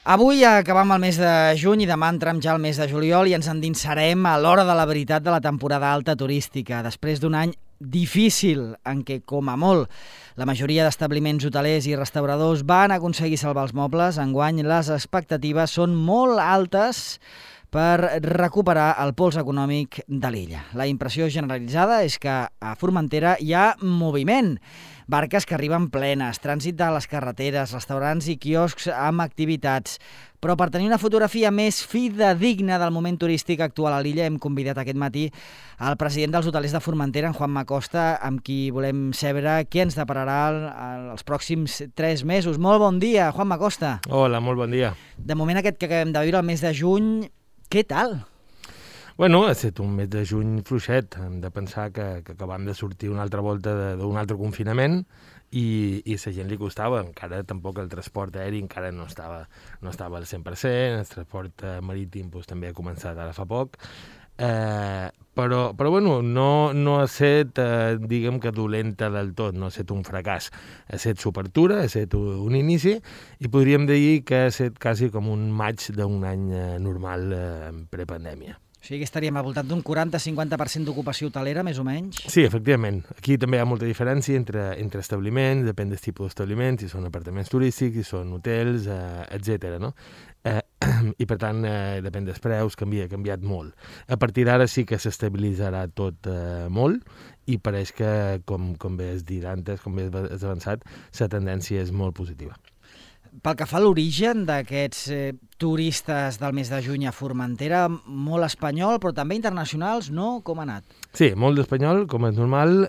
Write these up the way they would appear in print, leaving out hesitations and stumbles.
Avui acabam el mes de juny i demà entrem ja al mes de juliol i ens endinsarem a l'hora de la veritat de la temporada alta turística. Després d'un any difícil en què, com a molt, la majoria d'establiments hotelers i restauradors van aconseguir salvar els mobles, enguany les expectatives són molt altes per recuperar el pols econòmic de l'illa. La impressió generalitzada és que a Formentera hi ha moviment. Barques que arriben plenes, trànsit de les carreteres, restaurants i quioscs amb activitats. Però per tenir una fotografia més fidedigna del moment turístic actual a l'illa hem convidat aquest matí el president dels hotelers de Formentera, en Juanma Costa, amb qui volem saber què ens depararà els pròxims 3 mesos. Molt bon dia, Juanma Costa. Hola, molt bon dia. De moment aquest que acabem de viure, el mes de juny, què tal? Bueno, ha estat un mes de juny fluixet. Hem de pensar que acabam de sortir una altra volta d'un altre confinament i la gent li costava. Encara tampoc el transport aeri encara no estava al 100%, el transport marítim també ha començat ara fa poc. Però bueno, no ha estat, diguem que dolenta del tot, no ha estat un fracàs. Ha estat s'obertura, ha estat un inici i podríem dir que ha estat quasi com un maig d'un any normal prepandèmia. O sigui que estaríem al voltant d'un 40-50% d'ocupació hotelera, més o menys? Sí, efectivament. Aquí també hi ha molta diferència entre establiments, depèn del tipus d'establiments, si són apartaments turístics, si són hotels, etc. no? I per tant, depèn dels preus, ha canviat molt. A partir d'ara sí que s'estabilitzarà tot molt i pareix que, com bé has dit antes, com bé has avançat, la tendència és molt positiva. Pel que fa a l'origen d'aquests turistes del mes de juny a Formentera, molt espanyol, però també internacionals, no? Com ha anat? Sí, molt d'espanyol, com és normal.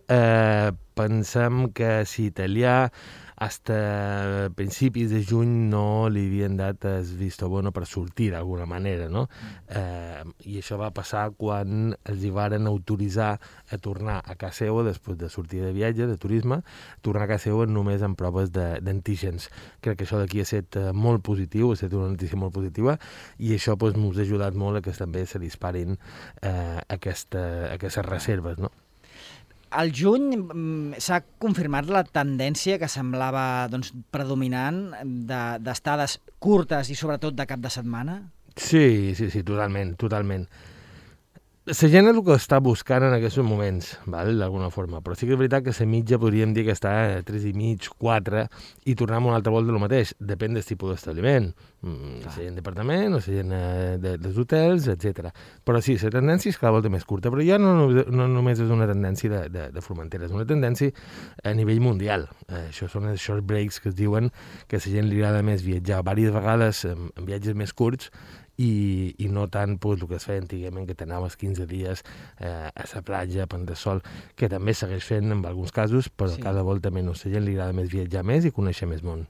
Pensem que si italià fins a principis de juny no li havien dat el visto bueno per sortir d'alguna manera, no? I això va passar quan els hi varen autoritzar a tornar a casa seva després de sortir de viatge, de turisme, tornar a casa seva només amb proves d'antígens. Crec que això d'aquí ha estat molt positiu, ha estat una notícia molt positiva i això ens ha ajudat molt a que també se disparin aquestes reserves, no? Al juny s'ha confirmat la tendència que semblava predominant d'estades curtes i sobretot de cap de setmana? Sí, totalment. La gent és el que està buscant en aquests moments, d'alguna forma, però sí que és veritat que la mitja podríem dir que està a 3,5, 4, i tornar una altra volta del mateix. Depèn del tipus d'establiment, la gent d'apartament, la gent dels hotels, etc. Però sí, la tendència és cada volta més curta, però ja no només és una tendència de Formentera, és una tendència a nivell mundial. Això són els short breaks que es diuen que a la gent li agrada més viatjar diverses vegades en viatges més curts i no tant el que es feia antigament, que t'anaves 15 dies a la platja, a prendre sol, que també segueix fent en alguns casos, però cada volta menys. A la gent li agrada més viatjar més i conèixer més món.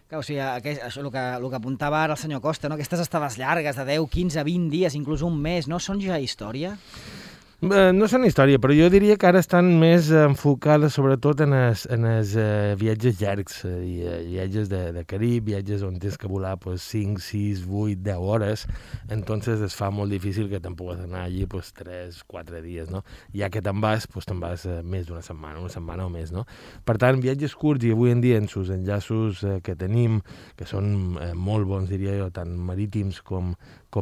Clar, o sigui, això, el que apuntava ara el senyor Costa, no? Aquestes estades llargues de 10, 15, 20 dies, inclús un mes, no són ja història? No són història, però jo diria que ara estan més enfocades sobretot en els viatges llargs, viatges de Carib, viatges on tens que volar 5, 6, 8, 10 hores, entonces es fa molt difícil que te'n pugues anar allí 3, 4 dies, no? Ja que te'n vas més d'una setmana, una setmana o més, no? Per tant, viatges curts i avui en dia en els enllaços que tenim, que són molt bons, diria jo, tant marítims com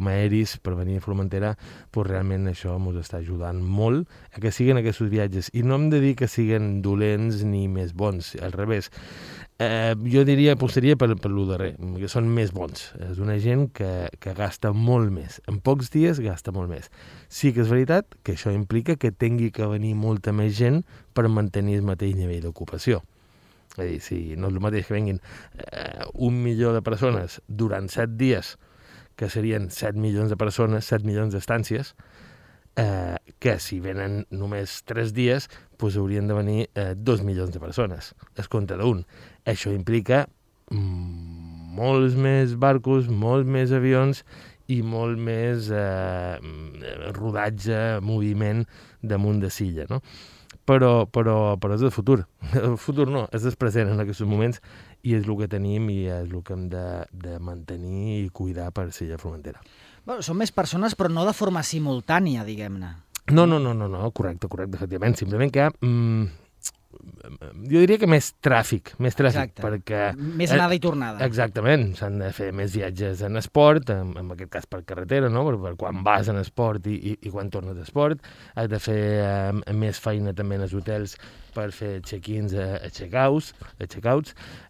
aeris per venir a Formentera, realment això ens està ajudant molt a que siguin aquests viatges. I no hem de dir que siguin dolents ni més bons, al revés. Jo apostaria per lo darrer, que són més bons. És una gent que gasta molt més. En pocs dies gasta molt més. Sí que és veritat que això implica que tingui que venir molta més gent per mantenir el mateix nivell d'ocupació. És a dir, si no és el mateix que venguin 1 milió de persones durant 7 dies, que serien 7 milions de persones, 7 milions d'estàncies, que si venen només 3 dies, haurien de venir 2 milions de persones, es compte d'un. Això implica molts més barcos, molts més avions i molt més rodatge, moviment damunt de silla, no? Però és el futur. El futur no, és el present en aquests moments i és el que tenim i és el que hem de mantenir i cuidar per ser a Formentera. Bueno, són més persones, però no de forma simultània, diguem-ne. No, correcte, efectivament. Simplement que jo diria que més tràfic, Exacte. perquè... Més anada i tornada. Exactament, s'han de fer més viatges en esport, en aquest cas per carretera, no? Per quan vas en esport i quan tornes d'esport, has de fer més feina també en els hotels per fer check-ins a check-outs,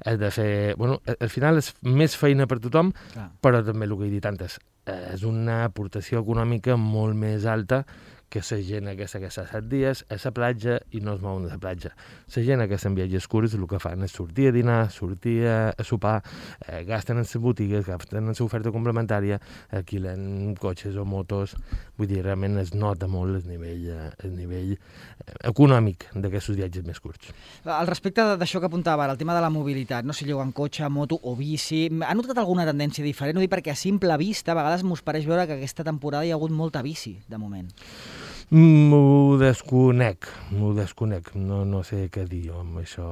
has de fer... Bueno, al final és més feina per tothom, Clar. però també el que he dit antes, és una aportació econòmica molt més alta que la gent aquesta que està 7 dies a la platja i no es mouen de la platja. La gent aquesta en viatges curts el que fan és sortir a dinar, sortir a sopar, gasten en les botigues, gasten en l'oferta complementària, alquilen cotxes o motos, vull dir, realment es nota molt el nivell econòmic d'aquests viatges més curts. Al respecte d'això que apuntava ara, el tema de la mobilitat, no sé, llogant cotxe, moto o bici, ha notat alguna tendència diferent? Ho dic perquè a simple vista a vegades m'ho pareix veure que aquesta temporada hi ha hagut molta bici, de moment. M'ho desconec, no sé què dir jo amb això.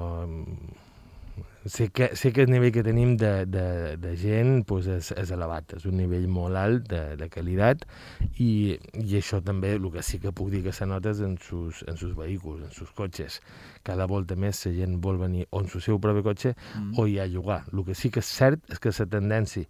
Sé que el nivell que tenim de gent pues, és elevat, és un nivell molt alt de qualitat i això també, el que sí que puc dir que se nota és en sus vehicles, en sus cotxes. Cada volta més la gent vol venir o en el seu propi cotxe o ja a llogar. El que sí que és cert és que la tendència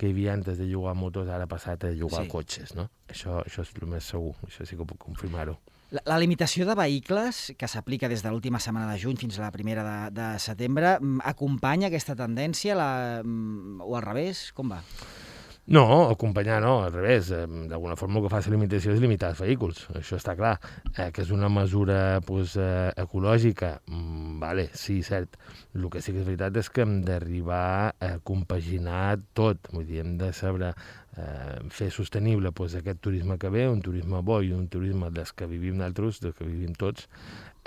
que hi havia antes de llogar motos ara ha passat a llogar cotxes, no? Això és el més segur, això sí que puc confirmar-ho. La limitació de vehicles, que s'aplica des de l'última setmana de juny fins a la primera de setembre, acompanya aquesta tendència o al revés? Com va? No, acompanyar no, al revés. D'alguna forma el que fa la limitació és limitar els vehicles, això està clar. Que és una mesura pues, ecològica, vale, sí, cert. El que sí que és veritat és que hem d'arribar a compaginar tot, vull dir, hem de saber fer sostenible pues, aquest turisme que ve, un turisme bo i un turisme dels que vivim nosaltres, dels que vivim tots,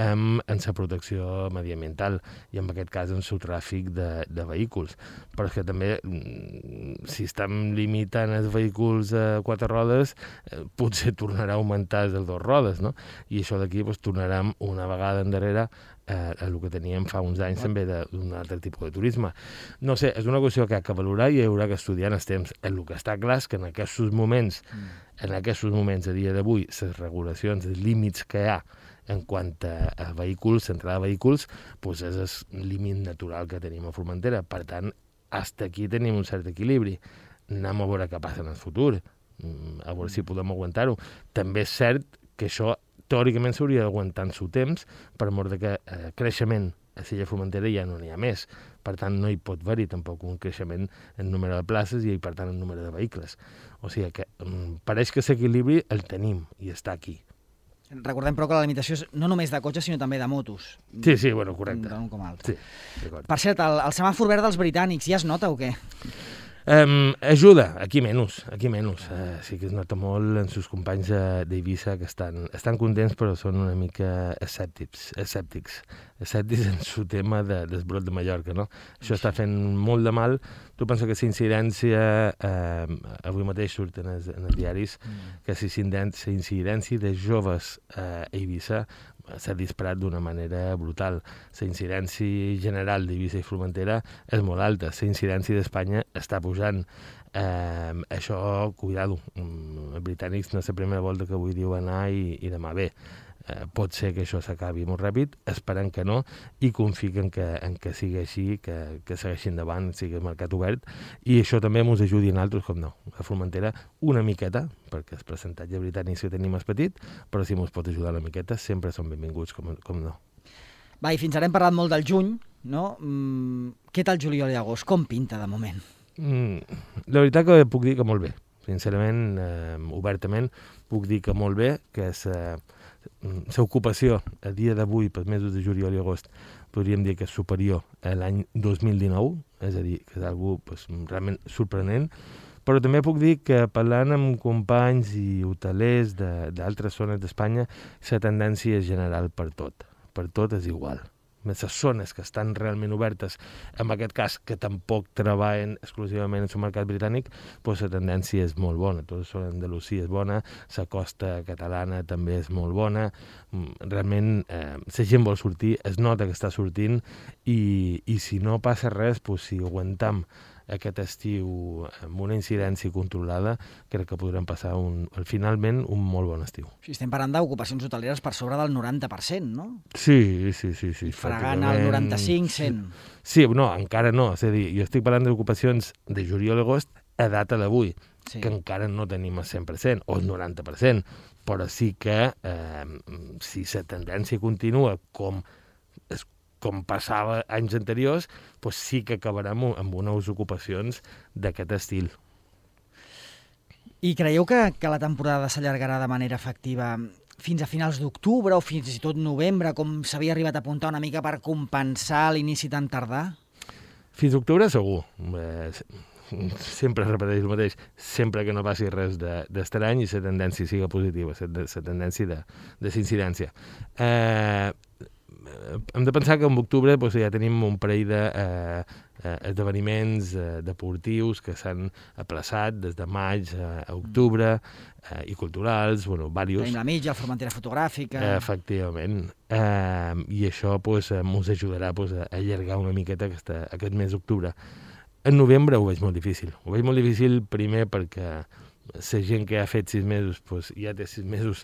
en la protecció mediambiental i en aquest cas en el tràfic de vehicles. Però és que també, si estem limitant els vehicles a 4 rodes, potser tornarà a augmentar els de 2 rodes, no? I això d'aquí pues, tornarem una vegada endarrere a el que teníem fa uns anys també d'un altre tipus de turisme. No sé, és una qüestió que ha que valorar i hi haurà que estudiar en els temps. El que està clar és que en aquests moments, a dia d'avui, les regulacions, els límits que hi ha en quant a vehicles, entrada de vehicles, doncs és el límit natural que tenim a Formentera. Per tant, fins aquí tenim un cert equilibri. Anem a veure què passa en el futur, a veure si podem aguantar-ho. També és cert que això teòricament s'hauria d'aguantar en el temps per mort de que creixement a Silla Formentera ja no n'hi ha més. Per tant, no hi pot haver-hi tampoc un creixement en número de places i, per tant, en número de vehicles. O sigui que pareix que l'equilibri el tenim i està aquí. Recordem, però, que la limitació és no només de cotxes, sinó també de motos. Sí, bueno, correcte. D'un com altre. Sí, d'acord. Per cert, el semàfor verd dels britànics ja es nota o què? Ajuda, aquí menys. Sí que es nota molt en sus companys d'Eivissa que estan contents però són una mica escèptics en su tema del brot de Mallorca, no? Això està fent molt de mal. Tu pensa que la incidència, avui mateix surt en els diaris, que la incidència de joves a Eivissa s'ha disparat d'una manera brutal. La incidència general d'Eivissa i Formentera és molt alta. La incidència d'Espanya està pujant. Això, cuidado, els britànics no és la primera volta que avui diu anar i demà ve. Pot ser que això s'acabi molt ràpid, esperem que no, i confio en que sigui així, que segueixi endavant, sigui el mercat obert, i això també ens ajudi a nosaltres, com no, a Formentera una miqueta, perquè el percentatge britànic que tenim és petit, però si ens pot ajudar una miqueta, sempre són benvinguts, com no. Va, i fins ara hem parlat molt del juny, no? Què tal juliol i agost? Com pinta de moment? La veritat que puc dir que molt bé. Sincerament, obertament, puc dir que molt bé, que l'ocupació a dia d'avui pels mesos de juliol i agost podríem dir que és superior a l'any 2019, és a dir, que és algo realment sorprenent, però també puc dir que parlant amb companys i hotelers d'altres zones d'Espanya, la tendència és general per tot és igual. Les zones que estan realment obertes, en aquest cas que tampoc treballen exclusivament en el mercat britànic, doncs la tendència és molt bona. Tota la zona d'Andalusia és bona, la costa catalana també és molt bona. Realment la gent vol sortir, es nota que està sortint i si no passa res, doncs si aguantam aquest estiu amb una incidència controlada, crec que podrem passar finalment un molt bon estiu. Sí, estem parlant d'ocupacions hoteleres per sobre del 90%, no? Sí. Fregant el 95-100. Sí, no, encara no. És a dir, jo estic parlant d'ocupacions de juliol a agost a data d'avui, que encara no tenim el 100% o el 90%, però sí que si la tendència continua com passava anys anteriors, doncs sí que acabarem amb unes ocupacions d'aquest estil. I creieu que la temporada s'allargarà de manera efectiva fins a finals d'octubre o fins i tot novembre, com s'havia arribat a apuntar una mica per compensar l'inici tan tardà? Fins a octubre segur. Sempre repeteix el mateix, sempre que no passi res d'estrany i la tendència siga positiva, la tendència de incidència. Hem de pensar que en octubre ja tenim un parell d'esdeveniments deportius que s'han aplaçat des de maig a octubre i culturals, diversos. Tenim la mitja, la Formentera fotogràfica... Efectivament. I això ens ajudarà a allargar una miqueta aquest mes d'octubre. En novembre ho veig molt difícil. Ho veig molt difícil primer perquè la gent que ha fet 6 mesos ja té 6 mesos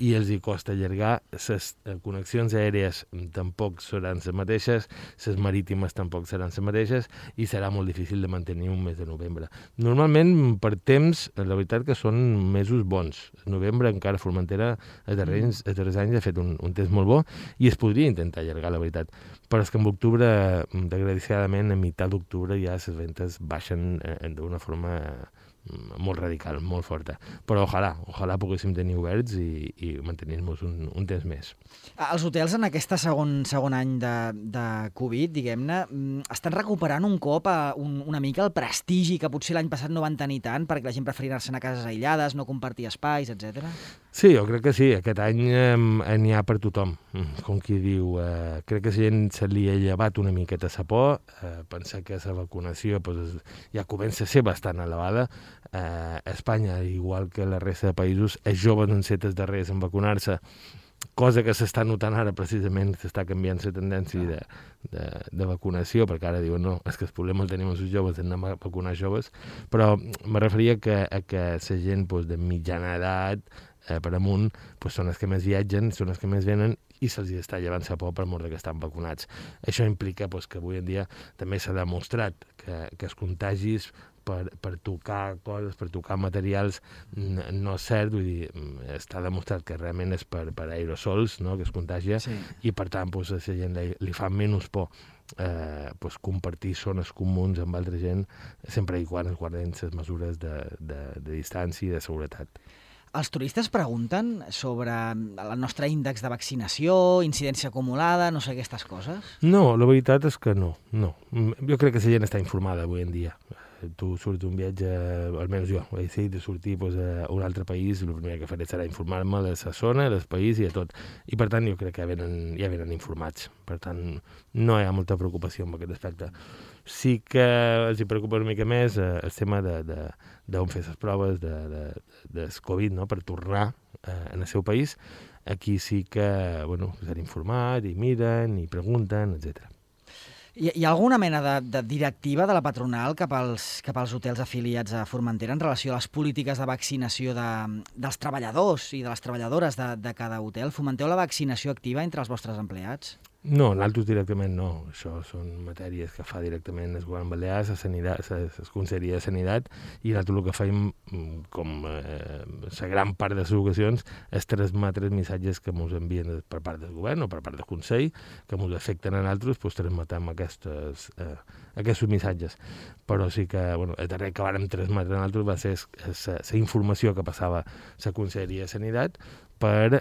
i els hi costa allargar. Les connexions aèries tampoc seran les mateixes, les marítimes tampoc seran les mateixes i serà molt difícil de mantenir un mes de novembre. Normalment, per temps, la veritat que són mesos bons. El novembre encara a Formentera els darrers anys ha fet un temps molt bo i es podria intentar allargar, la veritat. Però és que en octubre, desgraciadament, a meitat d'octubre ja les ventes baixen d'una forma molt radical, molt forta. Però ojalà poguéssim tenir oberts i mantenir-nos un temps més. Els hotels en aquest segon any de Covid, diguem-ne, estan recuperant un cop una mica el prestigi que potser l'any passat no van tenir tant perquè la gent preferia anar-se'n a cases aïllades, no compartir espais, etc. Sí, jo crec que sí. Aquest any n'hi ha per tothom. Com qui diu, crec que la gent se li ha llevat una miqueta la por, pensar que la vacunació ja comença a ser bastant elevada. A Espanya, igual que la resta de països, els joves han set els darrers en vacunar-se, cosa que s'està notant ara precisament, s'està canviant la tendència de vacunació, perquè ara diuen no, és que el problema el tenim els joves, anem a vacunar joves, però me referia a que la gent de mitjana edat per amunt són els que més viatgen, són els que més venen i se'ls està llevant la por per mort que estan vacunats. Això implica que avui en dia també s'ha demostrat que els contagis per tocar coses, per tocar materials, no és cert, vull dir, està demostrat que realment és per aerosols, no?, que es contagia, i per tant a la gent li fa menys por compartir zones comuns amb altra gent, sempre i quan es guarden les mesures de distància i de seguretat. Els turistes pregunten sobre el nostre índex de vaccinació, incidència acumulada, no sé, aquestes coses? No, la veritat és que no. Jo crec que la gent està informada avui en dia. Tu surts d'un viatge, almenys jo, he decidit de sortir a un altre país, el primer que faré serà informar-me de la zona, del país i de tot. I per tant jo crec que ja venen informats. Per tant, no hi ha molta preocupació en aquest aspecte. Sí que els preocupa una mica més el tema d'on fer les proves del Covid, no?, per tornar en el seu país. Aquí sí que s'han informat i miren i pregunten, etc. Hi ha alguna mena de directiva de la patronal cap als hotels afiliats a Formentera en relació a les polítiques de vaccinació dels treballadors i de les treballadores de cada hotel? Fomenteu la vaccinació activa entre els vostres empleats? No, nosaltres directament no. Això són matèries que fa directament el govern balear, la Conselleria de Sanitat, i nosaltres el que fem, com la gran part de les ocasions, és transmetre els missatges que ens envien per part del govern o per part del Consell, que ens afecten a nosaltres, doncs transmetem aquests missatges. Però sí que el darrer que vàrem transmetre a nosaltres va ser la informació que passava la Conselleria de Sanitat per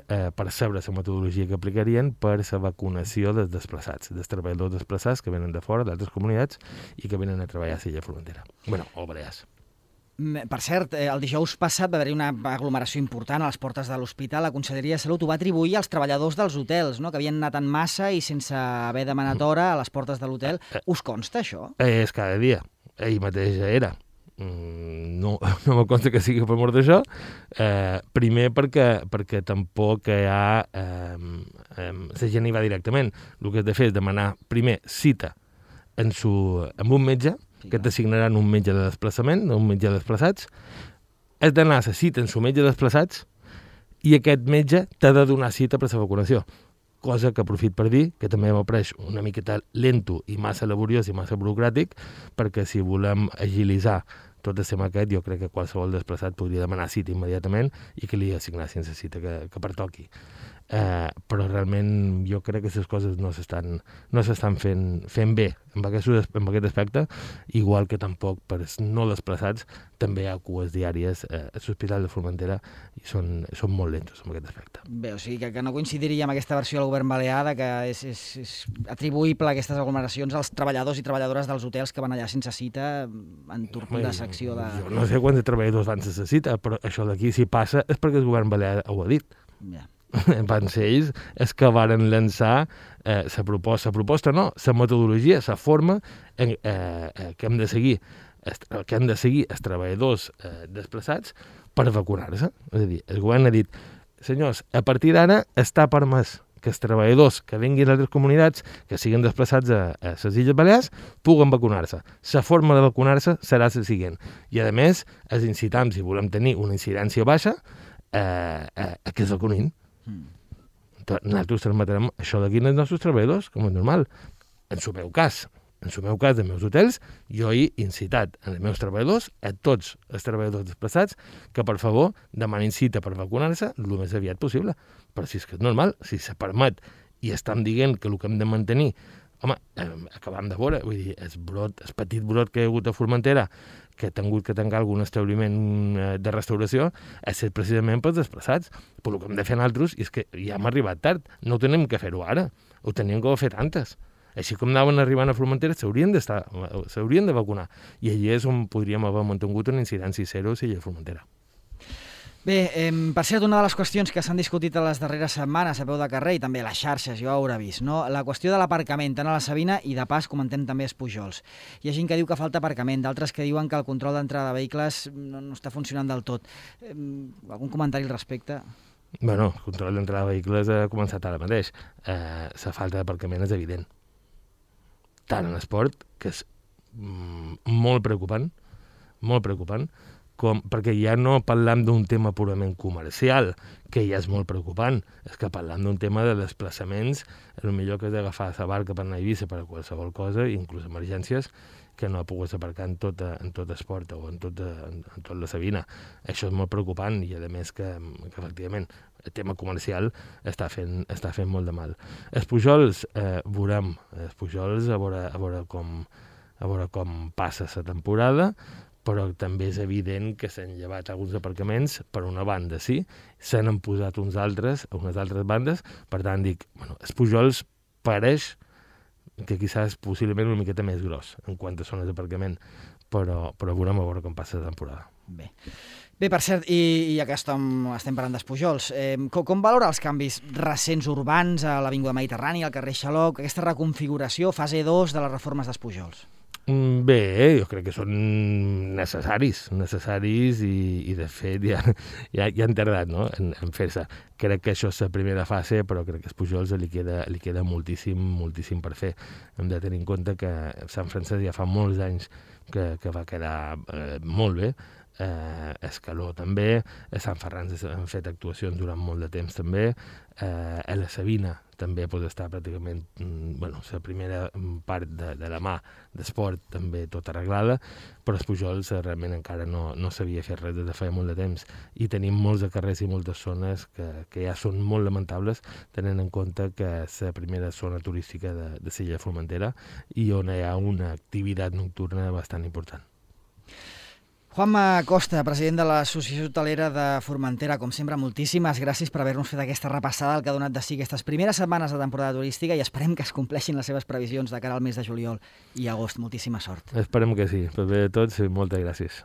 saber la metodologia que aplicarien per la vacunació dels desplaçats, dels treballadors desplaçats que venen de fora, d'altres comunitats, i que venen a treballar a l'illa Formentera. O Balears. Per cert, el dijous passat va haver-hi una aglomeració important a les portes de l'hospital. La Conselleria de Salut ho va atribuir als treballadors dels hotels, no?, que havien anat en massa i sense haver demanat hora a les portes de l'hotel. Us consta això? És cada dia. Ell mateix era. No me consta que sigui per mort d'això. Primer perquè tampoc hi ha... la gent hi va directament. El que has de fer és demanar primer cita amb un metge que t'assignaran un metge de desplaçament, un metge de desplaçats, has d'anar a la cita amb el metge de desplaçats i aquest metge t'ha de donar cita per a la vacunació. Cosa que aprofit per dir que també m'ho apareix una miqueta lento i massa laboriós i massa burocràtic, perquè si volem agilitzar tot el tema aquest, jo crec que qualsevol desplaçat podria demanar cita immediatament i que li assignessin la cita que pertoqui. Però realment jo crec que les coses no s'estan fent bé en aquest aspecte, igual que tampoc per no desplaçats també hi ha cues diàries a l'Hospital de Formentera i són molt lentos en aquest aspecte. Bé, o sigui que no coincidiria amb aquesta versió del govern balear de que és atribuïble aquestes aglomeracions als treballadors i treballadores dels hotels que van allà sense cita en tortuda secció de... Jo no sé quants treballadors van sense cita, però això d'aquí si passa és perquè el govern balear ho ha dit. Ja. Van ser ells els que varen lançar la proposta, no, la metodologia, la forma que hem de seguir els treballadors desplaçats per vacunar-se. És a dir, el govern ha dit, senyors, a partir d'ara està permès que els treballadors que vinguin d'altres comunitats, que siguin desplaçats a les Illes Balears, puguen vacunar-se. La forma de vacunar-se serà la següent. I, a més, els incitam, si volem tenir una incidència baixa, a que es vacunin. Nosaltres transmetrem això d'aquí als nostres treballadors, com és normal. En el meu cas, dels meus hotels, jo he incitat els meus treballadors, a tots els treballadors desplaçats, que per favor demanin cita per vacunar-se el més aviat possible. Però si és que és normal, si se permet i estem dient que el que hem de mantenir, home, acabam de veure, vull dir, el petit brot que hi ha hagut a Formentera, que ha tingut que tancar algun establiment de restauració, ha estat precisament pels desplaçats. Però el que hem de fer nosaltres és que ja hem arribat tard. No ho tenim que fer-ho ara. Ho teníem que haver fet antes. Així com anaven arribant a Formentera, s'haurien de vacunar. I allí és on podríem haver mantingut una incidència zero si hi ha Formentera. Bé, per cert, una de les qüestions que s'han discutit a les darreres setmanes a peu de carrer i també a les xarxes, jo ho haurà vist, no? La qüestió de l'aparcament, tant a la Sabina i de pas comentem també els Pujols. Hi ha gent que diu que falta aparcament, d'altres que diuen que el control d'entrada de vehicles no està funcionant del tot. Algun comentari al respecte? Bueno, el control d'entrada de vehicles ha començat ara mateix. La falta d'aparcament és evident. Tant en esport, que és molt preocupant, perquè ja no parlam d'un tema purament comercial, que ja és molt preocupant, és que parlam d'un tema de desplaçaments, el millor que és agafar la barca per anar a Eivissa per a qualsevol cosa, inclús emergències, que no ha pogut aparcar en tot esport o en tot la Sabina. Això és molt preocupant i, a més, que efectivament el tema comercial està fent molt de mal. Els Pujols veurem, a veure com passa la temporada, però també és evident que s'han llevat alguns aparcaments per una banda, sí, se n'han posat unes altres bandes, per tant dic, els Pujols pareix que quizás possiblement una miqueta més gros en quant a zones d'aparcament, però veurem a veure com passa la temporada. Bé, per cert, i ja que estem parlant dels Pujols, com valora els canvis recents urbans a l'Avinguda Mediterrània, al carrer Xaloc, aquesta reconfiguració, fase 2 de les reformes dels Pujols? Bé, jo crec que són necessaris i de fet ja han tardat, no?, en fer-se. Crec que això és la primera fase, però crec que als Pujols li queda moltíssim per fer. Hem de tenir en compte que Sant Francesc ja fa molts anys que va quedar molt bé, Escaló també, a Sant Ferran han fet actuacions durant molt de temps també, a la Sabina també pot estar pràcticament, la primera part de la mà d'esport també tot arreglada, però els Pujols realment encara no s'havia fet res des de feia molt de temps i tenim molts de carrers i moltes zones que ja són molt lamentables, tenint en compte que és la primera zona turística de l'illa de Formentera i on hi ha una activitat nocturna bastant important. Juanma Costa, president de l'Associació Hotelera de Formentera, com sempre, moltíssimes gràcies per haver-nos fet aquesta repassada del que ha donat de si aquestes primeres setmanes de temporada turística i esperem que es compleixin les seves previsions de cara al mes de juliol i agost. Moltíssima sort. Esperem que sí. Per bé de tots, moltes gràcies.